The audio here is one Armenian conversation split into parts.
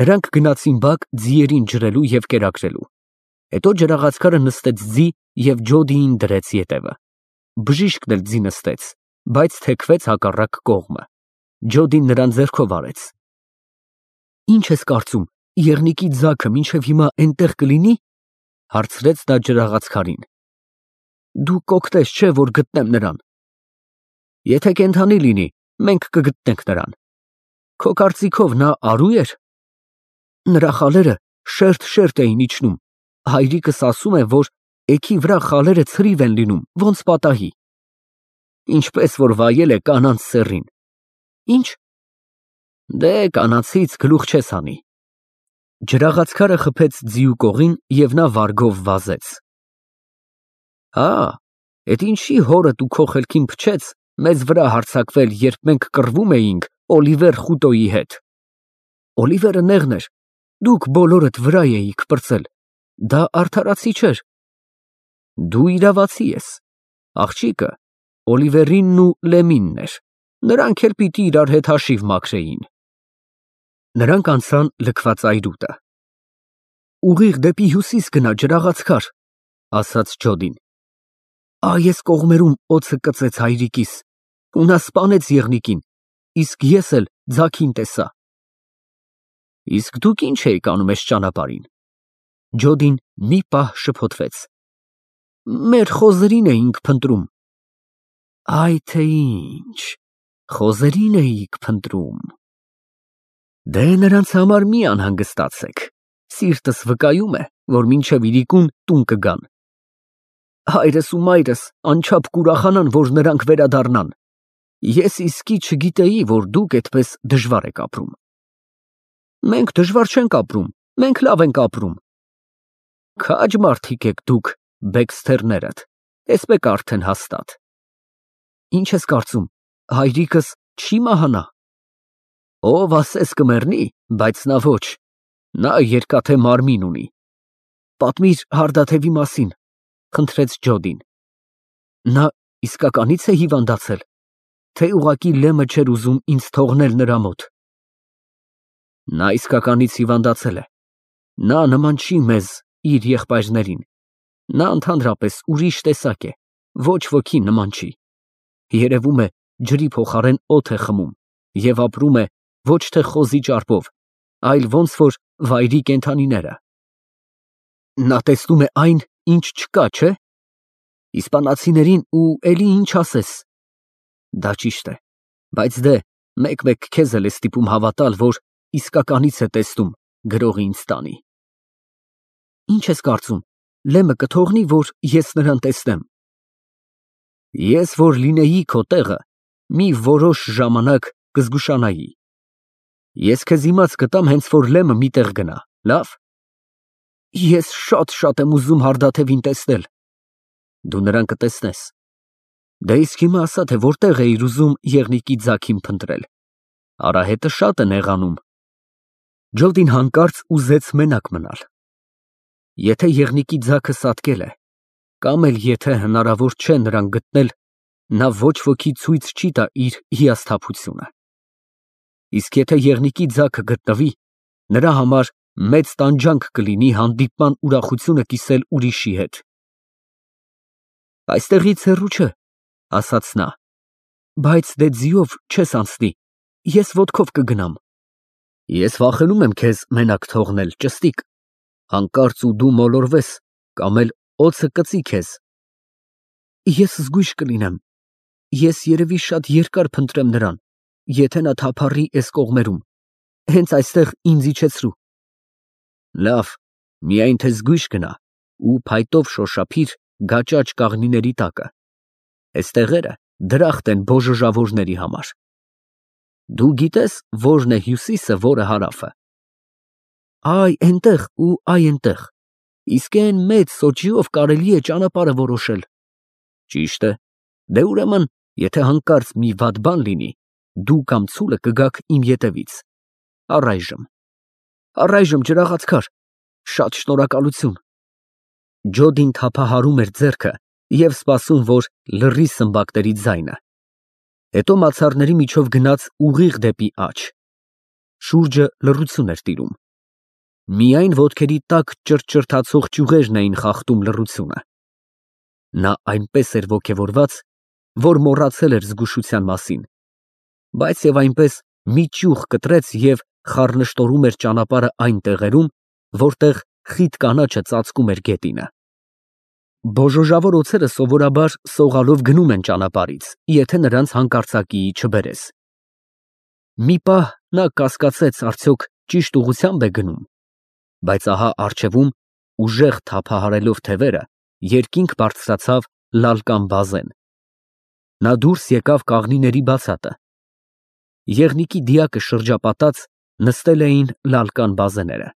Նրանք գնացին բակ ձիերին ջրելու և կերակրելու։ Հետո ջրաղացքարը նստեց ձի և Ջոդիին դրեց ետևը։ Բժիշկն էլ ձի նստեց, բայց թեքվեց հակառակ կողմը։ Ջոդին նրան ձեռքով արեց։ Ի՞նչ ես կարծում, եղնիկի ձագը մինչև հիմա էնտեղ կլինի, հարցրեց նա ջրաղացքարին։ Դու կօգնես, չէ՞, որ գտնեմ նրան։ Եթե կենդանի լինի, մենք կգտնենք նրան։ Քո կարծիքով նա արու էր։ Նրա խալերը շերտ էին իջնում։ Հայրիկս ասում է, որ էգի վրա խալերը ցրիվ են լինում, ոնց պատահի։ Ինչպես որ վայել է կանանց սեռին։ Ինչ։ Դե կանացից գլուխ չես հանի։ Ջրաղացքարը խփեց ձիու կողին և նա վարգով վազեց։ Հա, էդ ինչի հորդ ու քո խելքին փչեց մեզ վրա հարձակվել, երբ մենք կռվում էինք Օլիվեր Խուտոյի հետ։ Օլիվերը նեղն էր, դուք բոլորդ վրա էիք պրծել, դա արդարացի չէր։ Դու իրավացի ես, աղջիկը Օլիվերինն ու Լեմինն էր, նրանք էլ պիտի իրար հետ հաշիվ մաքրեին։ Նրանք անցան լքված այրուտը։ Ուղիղ դեպի հյուսիս գնա, ջրաղացքար, ասաց Ջոդին։ Այս կողմերում օձը կծեց հայրիկիս, ու նա սպանեց եղնիկին, իսկ ես էլ ձագին տեսա։ Իսկ դուք ինչ էիք անում էս ճանապարհին։ Ջոդին մի պահ շփոթվեց։ Մեր խոզերին էինք փնտրում։ Այ թե ինչ, խոզերին էիք փնտրում։ Դե նրանց համար մի անհանգստացեք, սիրտս վկայում է, որ մինչև իրիկուն տուն կգան։ Հայրս ու մայրս անչափ կուրախանան, որ նրանք վերադառնան։ Ես իսկի չգիտեի, որ դուք այդպես դժվար եք ապրում։ Մենք դժվար չենք ապրում, մենք լավ ենք ապրում։ Քաջ մարդիկ եք դուք, Բեքսթերներդ, էսպեկ արդեն հաստատ։ Ինչ ես կարծում, հայրիկս չի մահանա։ Ով ասես կմեռնի, բայց նա ոչ, նա երկաթե մարմին ունի։ Պատմիր Հարդաթևի մասին, խնդրեց Ջոդին։ Նա իսկականից է հիվանդացել, թե ուղղակի Լեմը չէր ուզում ինձ թողնել նրա մոտ։ Նա իսկականից հիվանդացել է։ Նա նման չի մեզ, իր եղբայրներին։ Նա ընդհանրապես ուրիշ տեսակ է, ոչ ոքի նման չի։ Երևում է, ջրի փոխարեն օդ է խմում և ապրում է ոչ թե խոզի ճարպով, այլ ոնց որ վայրի կենդանիները։ Նա տեսնում է այն, ինչ չկա, չէ։ Իսպանացիներին ու էլի ինչ ասես։ Դա ճիշտ է, բայց դե մեկ-մեկ քեզ էլ է ստիպում հավատալ, որ իսկականից է տեսնում, գրողի ինձ տանի։ Ինչ ես կարծում, Լեմը կթողնի, որ ես նրան տեսնեմ։ Ես որ լինեի քո տեղը, մի որոշ ժամանակ կզգուշանայի։ Ես քեզ իմաց կտամ, հենց որ Լեմը մի տեղ գնա, լավ։ Ես շատ եմ ուզում Հարդաթևին տեսնել։ Դու նրան կտեսնես։ Դե իսկ հիմա ասա, թե որտեղ էիր ուզում եղնիկի ձագին փնտրել։ Արահետը շատ է նեղանում։ Ջոդին հանկարծ ուզեց մենակ մնալ։ Եթե եղնիկի ձագը սատկել է, կամ էլ եթե հնարավոր չէ նրան գտնել, նա ոչ ոքի ցույց չի տա իր հիասթափությունը։ Իսկ եթե եղնիկի ձագը գտնվի, նրա համար մեծ տանջանք կլինի հանդիպման ուրախությունը կիսել ուրիշի հետ։ Այստեղից հեռու չէ, ասաց նա, բայց դե ձիով չես անցնի, ես ոտքով կգնամ։ Ես վախենում եմ քեզ մենակ թողնել, ճստիկ, հանկարծ ու դու մոլորվես, կամ էլ օձը կծի քեզ։ Ես զգույշ կլինեմ, ես երևի շատ երկար փնտրեմ նրան, եթե նա թափառի էս կողմերում, հենց այստեղ ինձ իջեցրու։ Լավ, միայն թե զգույշ գնա ու փայտով շոշափիր գաճաճ կաղնիների տակը։ Էս տեղերը դրախտ են բոժոժավորների համար։ Դու գիտես որն է հյուսիսը, որը հարավը։ Այ այնտեղ ու այ այնտեղ, իսկ այն մեծ սոճիով կարելի է ճանապարհը որոշել։ Ճիշտ է, դե ուրեմն, եթե հանկարծ մի վատ բան լինի, դու կամ ցուլը կգաք իմ ետևից։ Առայժմ ջրաղացքար, շատ շնորհակալություն։ Ջոդին թափահարում էր ձեռքը և սպասում, որ լռի սմբակների ձայնը։ Հետո մացառների միջով գնաց ուղիղ դեպի աջ։ Շուրջը լռություն էր տիրում։ Միայն ոտքերի տակ ճրճրթացող ճյուղերն էին խախտում լռությունը։ Նա այնպես էր ոգևորված, որ մոռացել էր զգուշության մասին, բայց եւ այնպես մի ճյուղ կտրեց և խառնշտորում էր ճանապարհը այն տեղերում, որտեղ խիտ կանաչը ծածկում էր գետինը։ Բոժոժավոր օձերը սովորաբար սողալով գնում են ճանապարհից, եթե նրանց հանկարծակիի չբերես։ Մի պահ նա կասկածեց արդյոք ճիշտ ուղղությամբ է գնում, բայց ահա առջևում, ուժեղ թափահարելով թևերը, երկինք բարձրացավ լալկան բազեն։ Նա դուրս եկավ կաղնիների բացատը։ Եղնիկի դիակը շրջապատած նստել էին լալկան բազեները։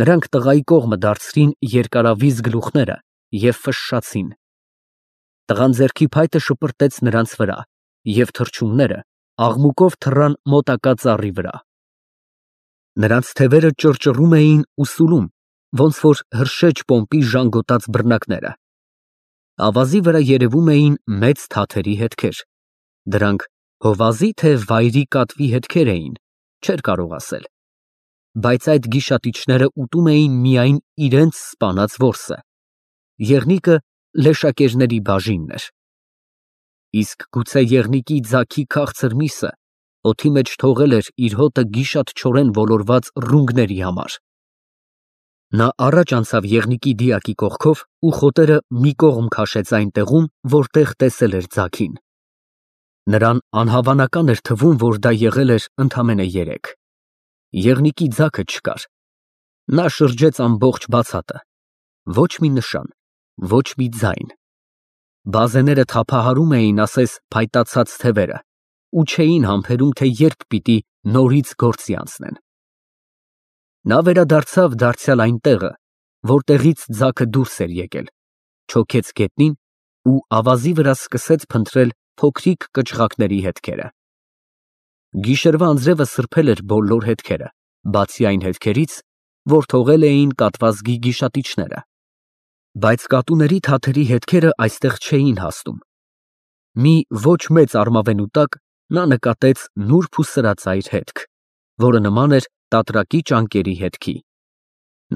Նրանք տղայի կողմը դարձրին երկարավիզ գլուխները և ֆշշացին։ Տղան ձեռքի փայտը շպրտեց նրանց վրա, և թռչունները աղմուկով թռան մոտակա ծառի վրա։ Նրանց թևերը ճռճռում էին ու սուլում, ոնց որ հրշեջ պոմպի ժանգոտած բռնակները։ Ավազի վրա երևում էին մեծ թաթերի հետքեր։ Դրանք հովազի թե վայրի կատվի հետքեր էին, չէր կարող ասել, բայց այդ գիշատիչները ուտում էին միայն իրենց սպանած որսը։ Եղնիկը լեշակերների բաժինն էր։ Իսկ գուցե եղնիկի ձագի քաղցր միսը օդի մեջ թողել էր իր հոտը գիշատչորեն ոլորված ռունգների համար։ Նա առաջ անցավ եղնիկի դիակի կողքով ու խոտերը մի կողմ քաշեց այն տեղում, որտեղ տեսել էր ձագին։ Նրան անհավանական էր թվում, որ դա եղել էր ընդամենը երեկ։ Եղնիկի ձագը չկար։ Նա շրջեց ամբողջ բացատը։ Ոչ մի նշան, ոչ մի ձայն։ Բազեները թափահարում էին ասես փայտացած թևերը ու չէին համբերում, թե երբ պիտի նորից գործի անցնեն։ Նա վերադարձավ դարձյալ այն տեղը, որտեղից ձագը դուրս էր եկել, չոքեց գետնին ու ավազի վրա սկսեց փնտրել փոքրիկ կճղակների հետքերը։ Գիշերվա անձրևը սրբել էր բոլոր հետքերը, բացի այն հետքերից, որ թողել էին կատվազգի գիշատիչները, բայց կատուների թաթերի հետքերը այստեղ չէին հասնում։ Մի ոչ մեծ արմավենու տակ նա նկատեց նուրբ ու սրածայր հետք, որը նման էր տատրակի ճանկերի հետքի։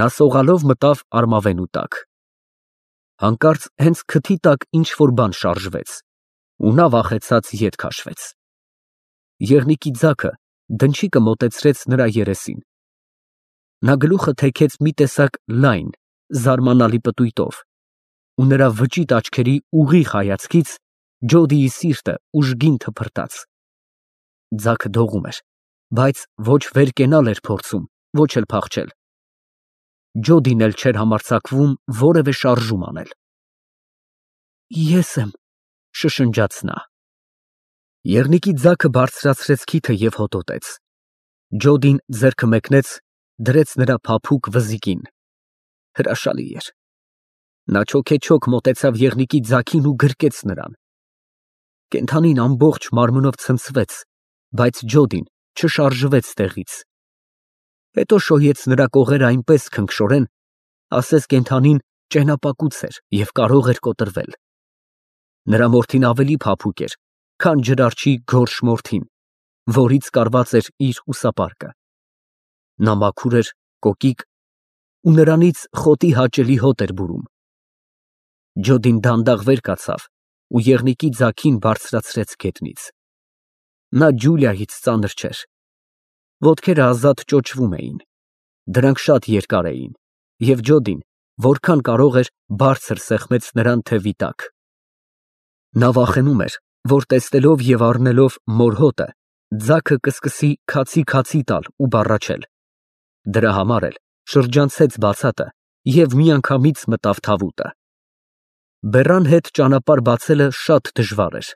Նա սողալով մտավ արմավենու տակ։ Հանկարծ հենց քթի տակ ինչ-որ բան շարժվեց, ու նա վախեցած ետ քաշվեց։ Եղնիկի ձագը դնչիկը մոտեցրեց նրա երեսին։ Նա գլուխը թեքեց մի տեսակ լայն, զարմանալի պտույտով, ու նրա վճիտ աչքերի ուղիղ հայացքից Ջոդիի սիրտը ուժգին թփրտաց։ Ձագը դողում էր, բայց ոչ վեր կենալ էր փորձում, ոչ էլ փախչել։ Ջոդին էլ չէր համարձակվում որևէ շարժում անել։ Ես եմ, շշնջաց նա։ Եղնիկի ձագը բարձրացրեց քիթը և հոտոտեց։ Ջոդին ձեռքը մեկնեց, դրեց նրա փափուկ վզիկին։ Հրաշալի էր։ Նա չոքեչոք մոտեցավ եղնիկի ձագին ու գրկեց նրան։ Կենդանին ամբողջ մարմնով ցնցվեց, բայց Ջոդին չշարժվեց տեղից։ Հետո շոյեց նրա կողերը այնպես քնքշորեն, ասես կենդանին ճենապակուց էր և կարող էր կոտրվել։ Նրա մորթին ավելի փափուկ էր, քան ջրարջի գորշ մորթին, որից կարված էր իր ուսապարկը։ Նա մաքուր էր, կոկիկ, ու նրանից խոտի հաճելի հոտ էր բուրում։ Ջոդին դանդաղ վեր կացավ ու եղնիկի ձագին բարձրացրեց գետնից։ Նա Ջուլիայից ծանր չէր։ Ոտքերը ազատ ճոճվում էին։ Դրանք շատ երկար էին, և Ջոդին, որքան կարող էր, բարձր սեղմեց նրան թևի տակ։ Նա վախենում էր, որ տեսնելով և առնելով մոր հոտը, ձագը կսկսի քացի տալ ու բառաչել։ Դրա համար էլ շրջանցեց բացատը և միանգամից մտավ թավուտը։ Բեռան հետ ճանապարհ բացելը շատ դժվար էր։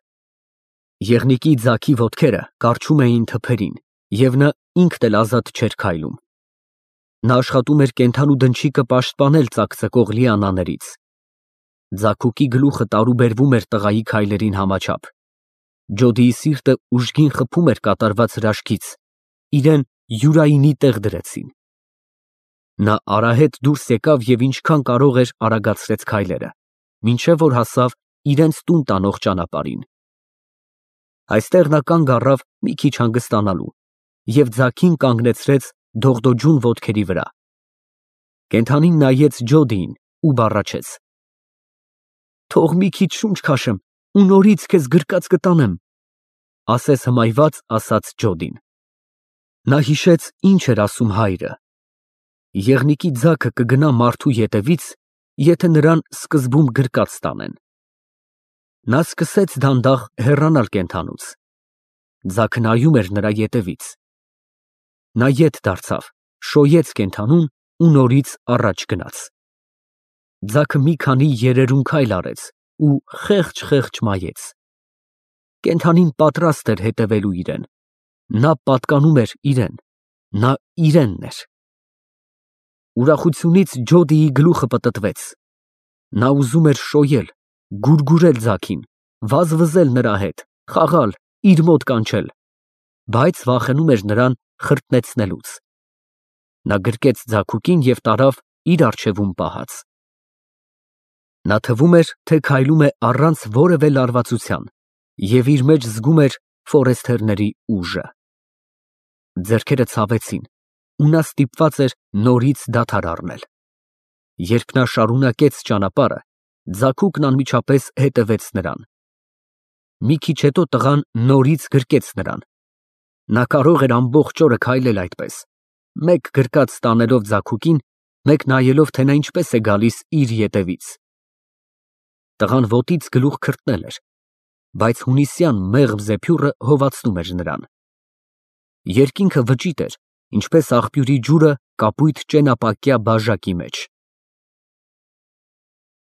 Եղնիկի ձագի ոտքերը կառչում էին թփերին, և նա ինքն էլ ազատ չէր քայլում։ Նա աշխատում էր կենդանու դնչիկը պաշտպանել ծակծկող լիանաներից։ Ձագուկի գլուխը տարուբերվում էր տղայի քայլերին համաչափ։ Ջոդիի սիրտը ուժգին խփում էր կատարված հրաշքից, իրեն յուրայինի տեղ դրեցին։ Նա արահետ դուրս եկավ և ինչքան կարող էր արագացրեց քայլերը, մինչև որ հասավ իրենց տուն տանող ճանապարհին։ Այստեղ նա կանգ առավ մի քիչ հանգստանալու և ձագին կանգնեցրեց դողդոջուն ոտքերի վրա։ Կենդանին նայեց Ջոդիին ու բառաչեց. «Թող մի քիչ շունչ քաշեմ ու նորից քեզ գրկած կտանեմ», ասես հմայված ասաց Ջոդին։ Նա հիշեց, ինչ էր ասում հայրը. եղնիկի ձագը կգնա մարդու ետևից, եթե նրան սկզբում գրկած տանեն։ Նա սկսեց դանդաղ հեռանալ կենդանուց։ Ձագը նայում էր նրա ետևից։ Նա ետ դարձավ, շոյեց կենդանուն ու նորից առաջ գնաց։ Ձագը մի քանի երերուն քայլ արեց ու խեղճ մայեց։ Կենդանին պատրաստ էր հետևելու իրեն։ Նա պատկանում էր իրեն։ Նա իրենն էր։ Ուրախությունից Ջոդիի գլուխը պտտվեց։ Նա ուզում էր շոյել, գուրգուրել ձագին, վազվզել նրա հետ, խաղալ, իր մոտ կանչել, բայց վախենում էր նրան խրտնեցնելուց։ Նա գրկեց ձագուկին և տարավ իր առջևում պահած։ Նա թվում էր, թե քայլում է առանց որևէ լարվածության և իր մեջ զգում էր ֆորեստերների ուժը։ Ձեռքերը ցավեցին ու նա ստիպված էր նորից դադար առնել։ Երբ նա շարունակեց ճանապարհը, ձագուկն անմիջապես հետևեց նրան։ Մի քիչ հետո տղան նորից գրկեց նրան։ Նա կարող էր ամբողջ օրը քայլել այդպես, մեկ գրկած տանելով ձագուկին, մեկ նայելով, թե նա ինչպես է գալիս իր ետևից։ Տղան ոտից գլուխ քրտնել էր, բայց հունիսյան մեղմ զեփյուռը հովացնում էր նրան։ Երկինքը վճիտ էր, ինչպես աղբյուրի ջուրը կապույտ ճենապակյա բաժակի մեջ։